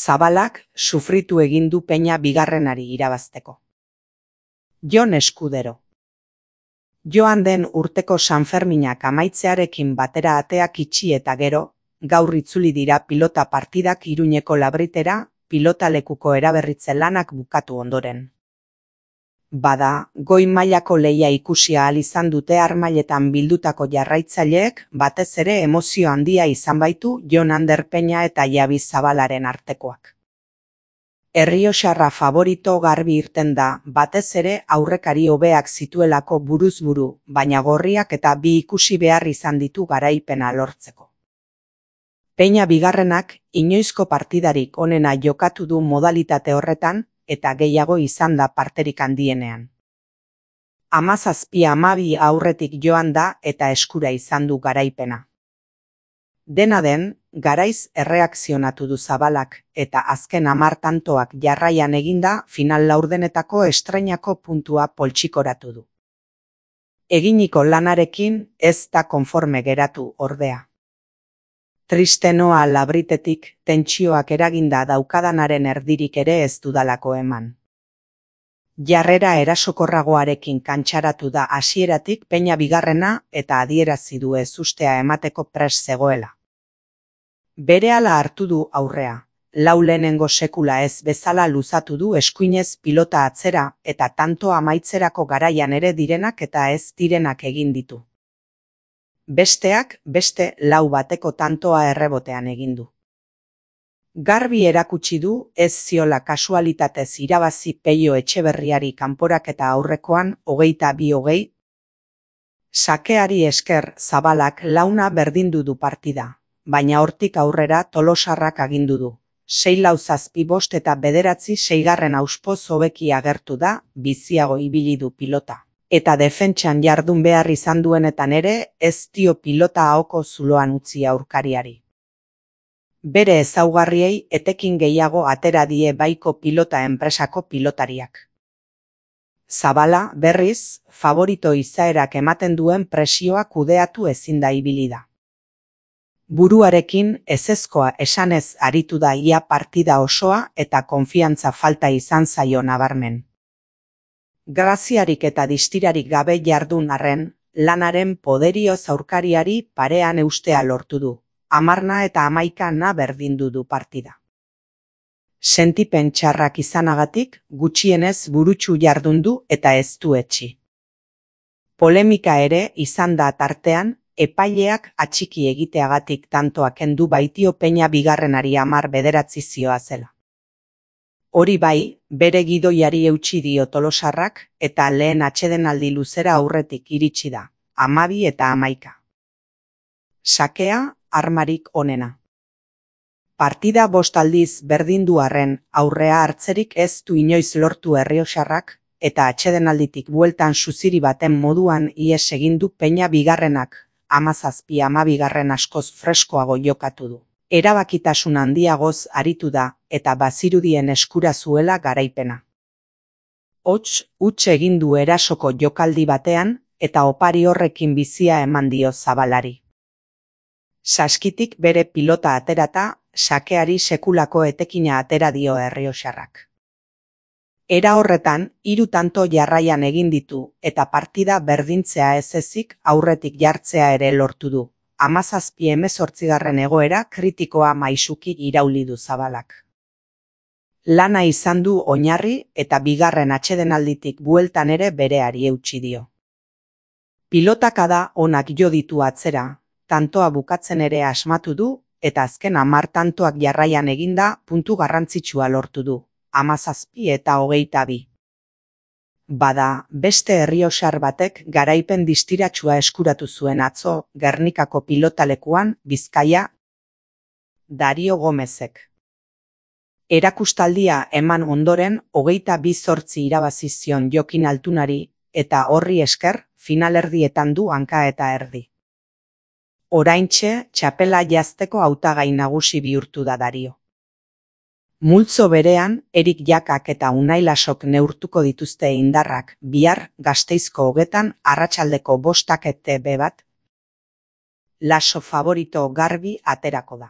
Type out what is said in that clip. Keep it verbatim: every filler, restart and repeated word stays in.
Zabalak sufritu egin du peña bigarrenari irabazteko. Jon Eskudero. Joan den urteko Sanferminak amaitzearekin batera ateak itxi eta gero, gaur itzuli dira pilota partidak Iruñeko Labritera, pilotalekuko eraberritze lanak bukatu ondoren. Bada, goi mailako lehia ikusi ahal izan dute Armailetan bildutako jarraitzaileek, batez ere emozio handia izan baitu Jon Ander Peña eta Javi Zabalaren artekoak. Errioxarra favorito garbi irten da, batez ere aurrekari hobeak zituelako buruz buru, baina gorriak eta bi ikusi behar izan ditu garaipena lortzeko. Peña bigarrenak inoizko partidarik onena jokatu du modalitate horretan, eta gehiago izan da parterik handienean. Hamazazpi hamabi aurretik joan da eta eskura izan du garaipena. Dena den, garaiz erreakzionatu du Zabalak, eta azken hamar tantoak jarraian eginda final laurdenetako estreinako puntua poltsikoratu du. Eginiko lanarekin ez da konforme geratu ordea. Triste noa Labritetik, tentsioak eraginda daukadanaren erdirik ere ez dudalako eman. Jarrera erasokorragoarekin kantxaratu da hasieratik Peña bigarrena eta adierazi du ezustea emateko prest zegoela. Berehala hartu du aurrea, lau lehenengo sekula ez bezala luzatu du eskuinez pilota atzera eta tanto amaitzerako garaian ere direnak eta ez direnak egin ditu. Besteak beste lau bateko tantoa errebotean egin du. Garbi erakutsi du ez ziola kasualitatez irabazi Peio Etxeberriari kanporaketa aurrekoan hogeita bi hogei. Sakeari esker Zabalak launa berdindu du partida, baina hortik aurrera Tolosarrak agindu du. Sei lau zazpi bost eta bederatzi seigarren auspoz hobeki agertu da, biziago ibili du pilota. Eta defentsan jardun behar izan duenetan ere, ez dio pilota ahoko zuloan utzi aurkariari. Bere ezaugarriei etekin gehiago atera die baiko pilota enpresako pilotariak. Zabala, berriz, favorito izaerak ematen duen presioa kudeatu ezin da ibili da. Buruarekin ezezkoa esanez aritu da ia partida osoa eta konfiantza falta izan zaio nabarmen. Graziarik eta distirarik gabe jardun arren, lanaren poderioz aurkariari parean eustea lortu du, hamarna eta hamaikana berdindu du partida. Sentipen txarrak izanagatik, gutxienez burutsu jardun du eta ez du etsi. Polemika ere izan da tartean, epaileak atxiki egiteagatik tantoak kendu baitio Peña bigarrenari hamar bederatzi zioa zela. Hori bai, bere gidoiari eutsi dio Tolosarrak eta lehen atsedenaldi luzera aurretik iritsi da, hamabi eta hamaika. Sakea, armarik onena. Partida bost aldiz berdindu arren aurrea hartzerik ez du inoiz lortu Errioxarrak eta atsedenalditik bueltan suziri baten moduan ihes egin du Peña bigarrenak, hamazazpi hamabigarren askoz freskoago jokatu du. Erabakitasun handiagoz aritu da eta bazirudien eskura zuela garaipena. Hots, huts egin du erasoko jokaldi batean eta opari horrekin bizia eman dio Zabalari. Saskitik bere pilota aterata, sakeari sekulako etekina atera dio Errioxarrak. Era horretan, hiru tanto jarraian egin ditu eta partida berdintzea ez ezik aurretik jartzea ere lortu du. Hamazazpi hemezortzigarren egoera kritikoa maisuki irauli du Zabalak. Lana izan du oinarri eta bigarren atsedenalditik bueltan ere bereari eutsi dio. Pilotakada onak jo ditu atzera, tantoa bukatzen ere asmatu du eta azken hamar tantoak jarraian eginda puntu garrantzitsua lortu du, hamazazpi eta hogeita bi. Bada, beste errioxar batek garaipen distiratsua eskuratu zuen atzo Gernikako pilotalekuan Bizkaia, Dario Gomezek. Erakustaldia eman ondoren hogeita bi zortzi irabazi zion Jokin Altunari eta horri esker finalerdietan du hanka eta erdi. Oraintxe txapela jazteko hautagai nagusi bihurtu da Dario. Multzo berean, Erik Jakak eta Unai Lasok neurtuko dituzte indarrak bihar Gasteizko hogetan arratsaldeko bostak ete be bat. Laso favorito garbi aterako da.